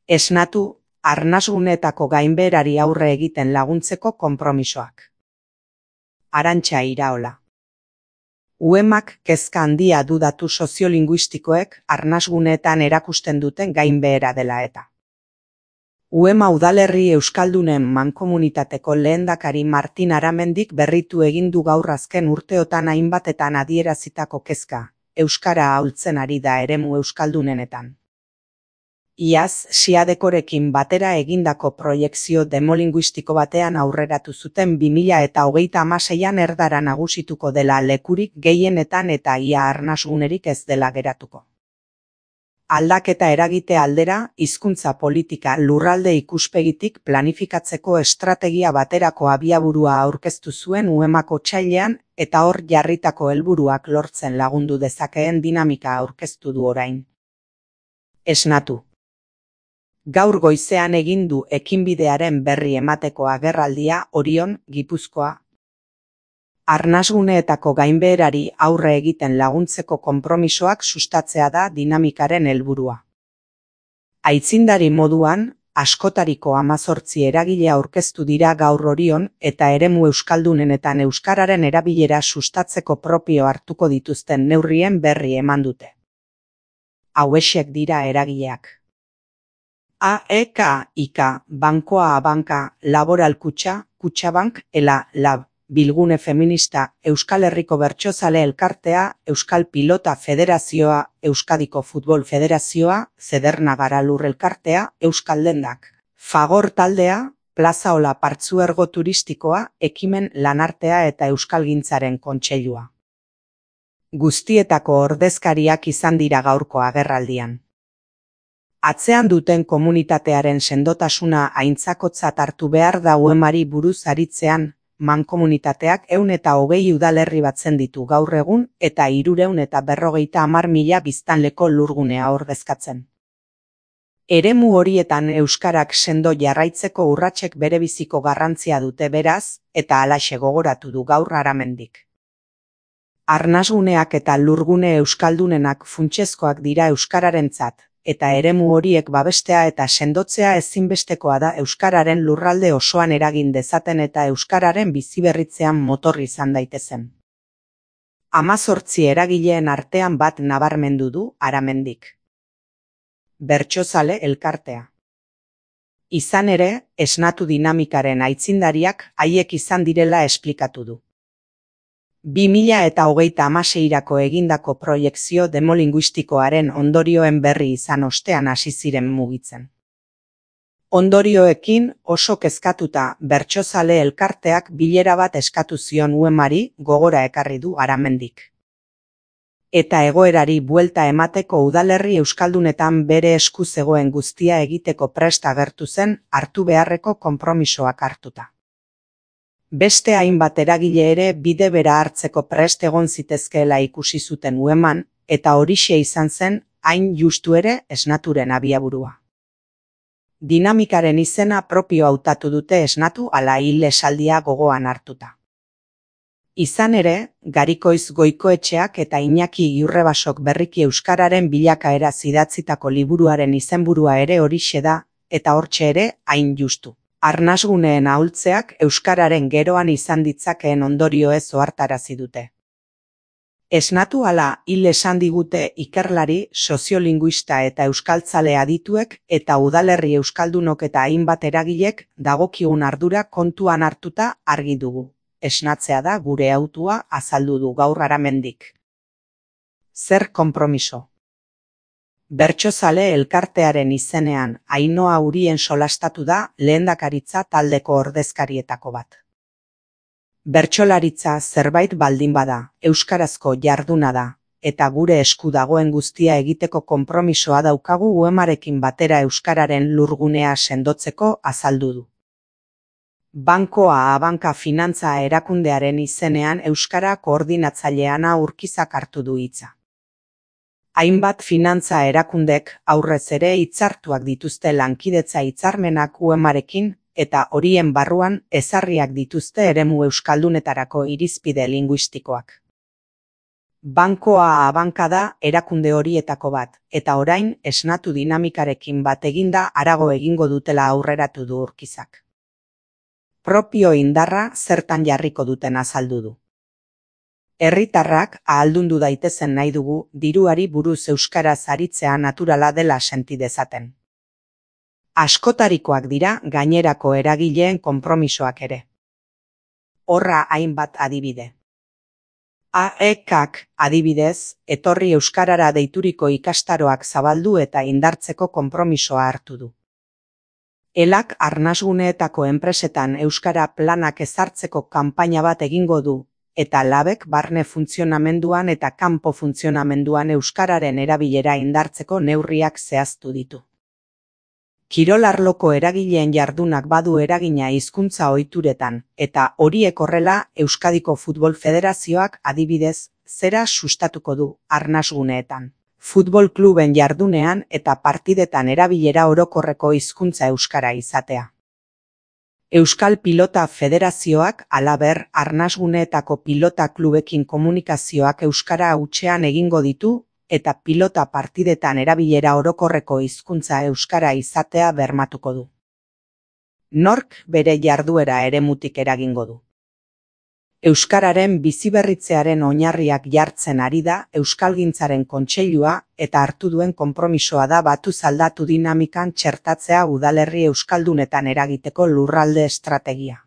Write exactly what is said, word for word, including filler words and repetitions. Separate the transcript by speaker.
Speaker 1: Esnatu, arnasguneetako gainbeherari aurre egiten laguntzeko konpromisoak. Arantxa Iraola. Uemak kezka handia du datu soziolinguistikoek arnasguneetan erakusten duten gainbehera dela eta. Uema udalerri euskaldunen mankomunitateko lehendakari Martin Aramendik berritu egin du gaur azken urteotan hainbatetan adierazitako kezka, euskara ahultzen ari da eremu euskaldunenetan. Iaz, Siadekorekin batera egindako proiekzio demolinguistiko batean aurreratu zuten bi mila eta hogeita hamaseian erdara nagusituko dela lekurik gehienetan eta ia arnasgunerik ez dela geratuko. Aldaketa eragite aldera, hizkuntza politika lurralde ikuspegitik planifikatzeko estrategia baterako abiaburua aurkeztu zuen Uemak otsailean eta hor jarritako helburuak lortzen lagundu dezakeen dinamika aurkeztu du orain. Esnatu. Gaur goizean egin du ekinbidearen berri emateko agerraldia Orion, Gipuzkoa. Arnasguneetako gainbeherari aurre egiten laguntzeko konpromisoak sustatzea da dinamikaren helburua. Aitzindari moduan, askotariko hamazortzi eragile aurkeztu dira gaur Orion eta eremu euskaldunenetan euskararen erabilera sustatzeko propio hartuko dituzten neurrien berri eman dute. Hauexek dira eragileak. A E K I K, Bankoa Abanka, Laboral Kutxa, Kutxabank, Ela, Lab, Bilgune Feminista, Euskal Herriko Bertsozale Elkartea, Euskal Pilota Federazioa, Euskadiko Futbol Federazioa, Zederna Garalur Elkartea, Euskal Dendak, Fagor Taldea, Plazaola Partzuergo Turistikoa, Ekimen Lanartea eta Euskalgintzaren Kontseilua. Guztietako ordezkariak izan dira gaurko agerraldian. Atzean duten komunitatearen sendotasuna aintzakotzat hartu behar da Uemari buruz aritzean, mankomunitateak ehun eta hogei udalerri batzen ditu gaur egun eta hirurehun eta berrogeita hamar mila biztanleko lurgunea ordezkatzen. Eremu horietan euskarak sendo jarraitzeko urratsek berebiziko garrantzia dute beraz, eta halaxe gogoratu du gaur Aramendik. Arnasguneak eta lurgune euskaldunenak funtsezkoak dira euskararentzat, eta eremu horiek babestea eta sendotzea ezinbestekoa da euskararen lurralde osoan eragin dezaten eta euskararen biziberritzean motor izan daitezen. Hamazortzi eragileen artean bat nabarmendu du Aramendik. Bertsozale Elkartea. Izan ere, esnatu dinamikaren aitzindariak haiek izan direla esplikatu du. bi mila eta hogeita hamaseirako egindako proiekzio demolinguistikoaren ondorioen berri izan ostean hasi ziren mugitzen. Ondorioekin oso kezkatuta Bertsozale Elkarteak bilera bat eskatu zion Uemari gogora ekarri du Aramendik. Eta egoerari buelta emateko udalerri euskaldunetan bere esku zegoen guztia egiteko prest agertu zen hartu beharreko konpromisoak hartuta. Beste hainbat eragile ere bide bera hartzeko prest egon zitezkeela ikusi zuten Ueman, eta horixe izan zen hain justu ere esnaturen abiaburua. Dinamikaren izena propio hautatu dute esnatu ala hil esaldia gogoan hartuta. Izan ere, Garikoiz Goikoetxeak eta Iñaki Iurrebasok berriki euskararen bilakaera idatzitako liburuaren izenburua ere horixe da, eta hortxe ere hain justu. Arnasguneen ahultzeak euskararen geroan izan ditzakeen ondorioez ohartarazi dute. Esnatu ala hil esan digute ikerlari, soziolinguista eta euskaltzale adituek eta udalerri euskaldunok eta hainbat eragilek dagokigun ardura kontuan hartuta argi dugu. Esnatzea da gure hautua azaldu du gaur Aramendik. Zer konpromiso? Bertsozale Elkartearen izenean Ainhoa Urien solastatu da lehendakaritza taldeko ordezkarietako bat. Bertsolaritza zerbait baldin bada, euskarazko jarduna da, eta gure esku dagoen guztia egiteko konpromisoa daukagu Uemarekin batera euskararen lurgunea sendotzeko azaldu du. Bankoa Abanka finantza erakundearen izenean euskara koordinatzaileana Urkizak hartu du hitza. Hainbat finantza erakundek aurrez ere hitzartuak dituzte lankidetza hitzarmenak Uemarekin eta horien barruan ezarriak dituzte eremu euskaldunetarako irizpide linguistikoak. Bankoa Abanka da erakunde horietako bat, eta orain esnatu dinamikarekin bat eginda harago egingo dutela aurreratu du Urkizak. Propio indarra zertan jarriko duten azaldu du. Herritarrak ahaldundu daitezen nahi dugu diruari buruz euskaraz aritzea naturala dela senti dezaten. Askotarikoak dira gainerako eragileen konpromisoak ere. Horra hainbat adibide. A E K adibidez, etorri euskarara deituriko ikastaroak zabaldu eta indartzeko konpromisoa hartu du. Elak arnasguneetako enpresetan euskara planak ezartzeko kanpaina bat egingo du, eta Labek barne funtzionamenduan eta kanpo funtzionamenduan euskararen erabilera indartzeko neurriak zehaztu ditu. Kirolarloko eragileen jardunak badu eragina hizkuntza ohituretan, eta horiek horrela Euskadiko Futbol Federazioak adibidez zera sustatuko du arnasguneetan. Futbol kluben jardunean eta partidetan erabilera orokorreko hizkuntza euskara izatea. Euskal Pilota Federazioak halaber arnasguneetako pilota klubekin komunikazioak euskara hutsean egingo ditu, eta pilota partidetan erabilera orokorreko hizkuntza euskara izatea bermatuko du. Nork bere jarduera eremutik eragingo du. Euskararen biziberritzearen oinarriak jartzen ari da Euskalgintzaren Kontseilua eta hartu duen konpromisoa da batuz aldatu dinamikan txertatzea udalerri euskaldunetan eragiteko lurralde estrategia.